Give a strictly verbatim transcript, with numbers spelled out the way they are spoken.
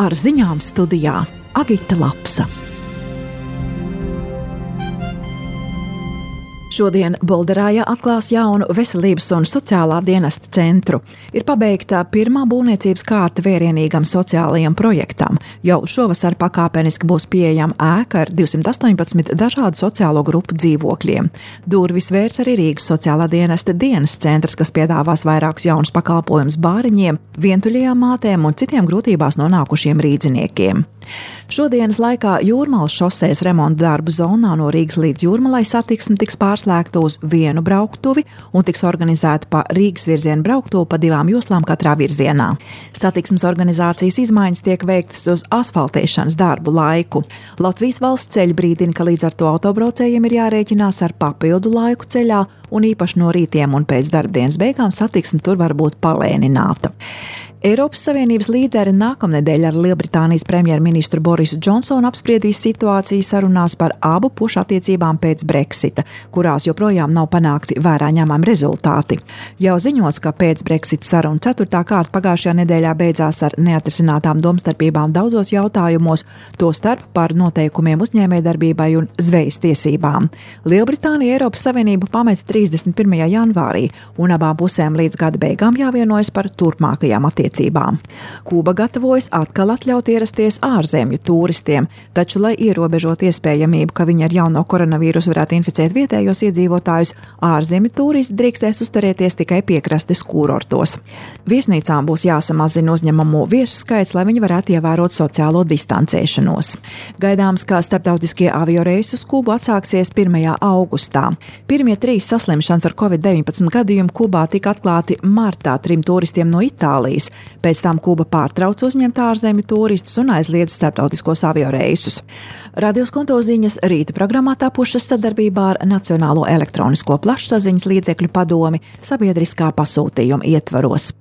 Ar ziņām studijā Agita Lapsa. Šodien Bolderājā atklās jaunu veselības un sociālā dienesta centru. Ir pabeigta pirmā būvniecības kārta vērienīgam sociālajam projektam. Jau šovasar pakāpeniski būs pieejama ēka ar divsimt astoņpadsmit dažādu sociālo grupu dzīvokļiem. Durvis vērs arī Rīgas sociālā dienesta dienas centrs, kas piedāvās vairākus jaunus pakalpojumus bāriņiem, vientuļajām mātēm un citiem grūtībās nonākušiem rīdziniekiem. Šodienas laikā Jūrmalas šosejas remonta darbu zonā no Rīgas līdz Jūrmalai satiksme tiks pārslēgta uz vienu brauktuvi un tiks organizēta pa Rīgas virzienu brauktuvi pa divām joslām katrā virzienā. Satiksmes organizācijas izmaiņas tiek veiktas uz asfaltēšanas darbu laiku. Latvijas valsts ceļi brīdina, ka līdz ar to autobraucējiem ir jārēķinās ar papildu laiku ceļā un īpaši no rītiem un pēc darbdienas beigām satiksme tur var būt palēnināta. Eiropas Savienības līderi nākamnedēļ ar Lielbritānijas premjerministru Borisu Džonsonu apspriedīs situāciju sarunās par abu pušu attiecībām pēc Brexita, kurās joprojām nav panākti vērā ņemami rezultāti. Jau ziņots, ka pēc Brexita saruna ceturtā kārta pagājušajā nedēļā beidzās ar neatrisinātām domstarpībām daudzos jautājumos, tostarp par noteikumiem uzņēmējdarbībai un zvejas tiesībām. Lielbritānija Eiropas Savienību pamet trīsdesmit pirmajā janvārī, un abām pusēm līdz gada beigām jāvienojas par turpmākajām attiecībām. Kuba gatavojas atkal atļaut ierasties ārzemju tūristiem, taču, lai ierobežot iespējamību, ka viņi ar jauno koronavīrusu varētu inficēt vietējos iedzīvotājus, ārzemju tūristi drīkstēs uzturēties tikai piekrastes kurortos. Viesnīcām būs jāsamazina uzņemamo viesu skaits, lai viņi varētu ievērot sociālo distancēšanos. Gaidāms, ka starptautiskie avioreisi uz Kubu atsāksies pirmajā augustā. Pirmie trīs saslimšanas ar covid deviņpadsmit gadījumi Kubā tika atklāti martā trim turistiem no Itālijas. Pēc tam Kuba pārtrauc uzņemt ārzemju turistus un aizliedz starptautiskos avioreisus. Radio Skonto ziņas rīta programmā tapušas sadarbībā ar Nacionālo elektronisko plašsaziņas līdzekļu padomi sabiedriskā pasūtījuma ietvaros.